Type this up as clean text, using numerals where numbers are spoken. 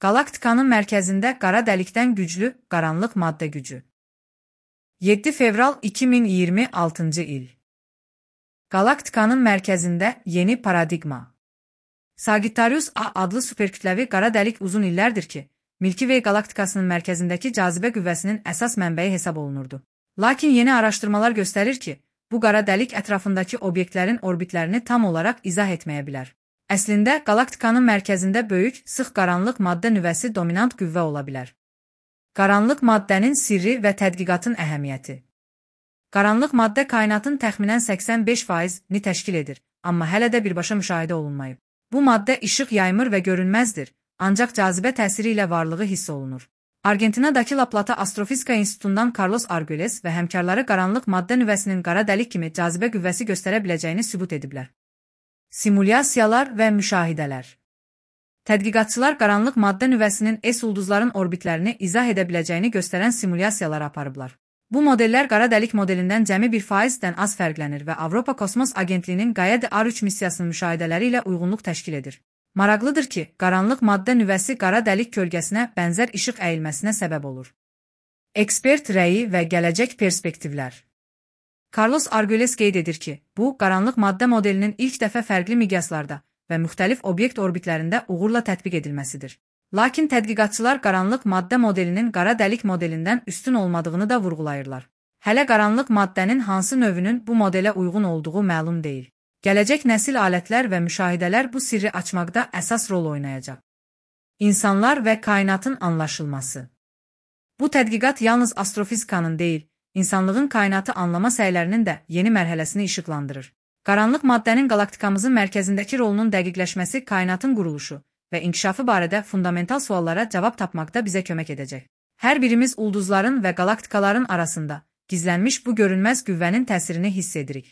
Galaktikanın mərkəzində qara dəlikdən güclü qaranlıq maddə gücü. 7 fevral 2026 il. Galaktikanın mərkəzində yeni paradigma. Sagittarius A adlı superkütləvi qara dəlik uzun illərdir ki, Milky Way galaktikasının mərkəzindəki cazibə qüvvəsinin əsas mənbəyi hesab olunurdu. Lakin yeni araşdırmalar göstərir ki, bu qara dəlik ətrafındakı obyektlərin orbitlərini tam olaraq izah etməyə bilər. Əslində, galaktikanın mərkəzində böyük, sıx qaranlıq maddə nüvəsi dominant qüvvə ola bilər. Qaranlıq maddənin sirri və tədqiqatın əhəmiyyəti. Qaranlıq maddə kainatın təxminən 85%-ni təşkil edir, amma hələ də birbaşa müşahidə olunmayıb. Bu maddə işıq yaymır və görünməzdir, ancaq cazibə təsiri ilə varlığı hiss olunur. Argentinadakı La Plata Astrofizika İnstitutundan Carlos Argüelles və həmkarları qaranlıq maddə nüvəsinin qara dəlik kimi cazibə qüvvəsi göstərə biləcəyini sübut ediblər. Simulyasiyalar və müşahidələr. Tədqiqatçılar qaranlıq maddə nüvəsinin S-ulduzların orbitlərini izah edə biləcəyini göstərən simulyasiyalar aparıblar. Bu modellər qara dəlik modelindən cəmi 1%-dən az fərqlənir və Avropa Kosmos Agentliyinin Gaia-D R3 missiyasının müşahidələri ilə uyğunluq təşkil edir. Maraqlıdır ki, qaranlıq maddə nüvəsi qara dəlik kölgəsinə bənzər işıq əyilməsinə səbəb olur. Ekspert rəyi və gələcək perspektivlər. Carlos Argüelles qeyd edir ki, bu, qaranlıq maddə modelinin ilk dəfə fərqli miqyaslarda və müxtəlif obyekt orbitlərində uğurla tətbiq edilməsidir. Lakin tədqiqatçılar qaranlıq maddə modelinin qara dəlik modelindən üstün olmadığını da vurğulayırlar. Hələ qaranlıq maddənin hansı növünün bu modelə uyğun olduğu məlum deyil. Gələcək nəsil alətlər və müşahidələr bu sirri açmaqda əsas rol oynayacaq. İnsanlar və kainatın anlaşılması. Bu tədqiqat yalnız astrofizikanın deyil, İnsanlığın kainatı anlama səylərinin də yeni mərhələsini işıqlandırır. Qaranlıq maddənin galaktikamızın mərkəzindəki rolunun dəqiqləşməsi kainatın quruluşu və inkişafı barədə fundamental suallara cavab tapmaqda bizə kömək edəcək. Hər birimiz ulduzların və galaktikaların arasında gizlənmiş bu görünməz qüvvənin təsirini hiss edirik.